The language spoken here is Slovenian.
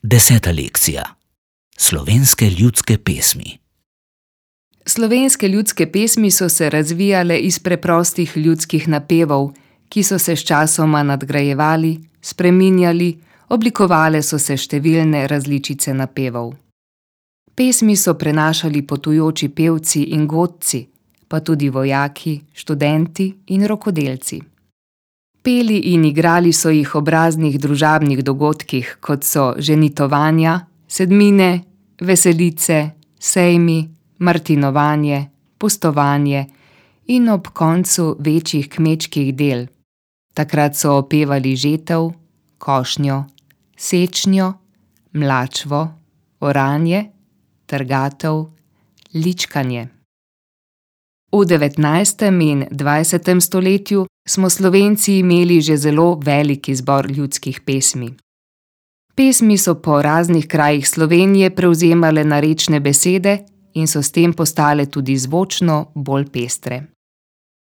10. lekcija. Slovenske ljudske pesmi. Slovenske ljudske pesmi so se razvijale iz preprostih ljudskih napevov, ki so se sčasoma nadgrajevali, spreminjali, oblikovale so se številne različice napevov. Pesmi so prenašali potujoči pevci in godci, pa tudi vojaki, študenti in rokodelci. Peli in igrali so jih ob raznih družabnih dogodkih, kot so ženitovanja, sedmine, veselice, sejmi, martinovanje, pustovanje in ob koncu večjih kmečkih del. Takrat so opevali žetev, košnjo, sečnjo, mlačvo, oranje, trgatev, ličkanje. V 19. in 20. stoletju smo Slovenci imeli že zelo velik izbor ljudskih pesmi. Pesmi so po raznih krajih Slovenije prevzemale narečne besede in so s tem postale tudi zvočno bolj pestre.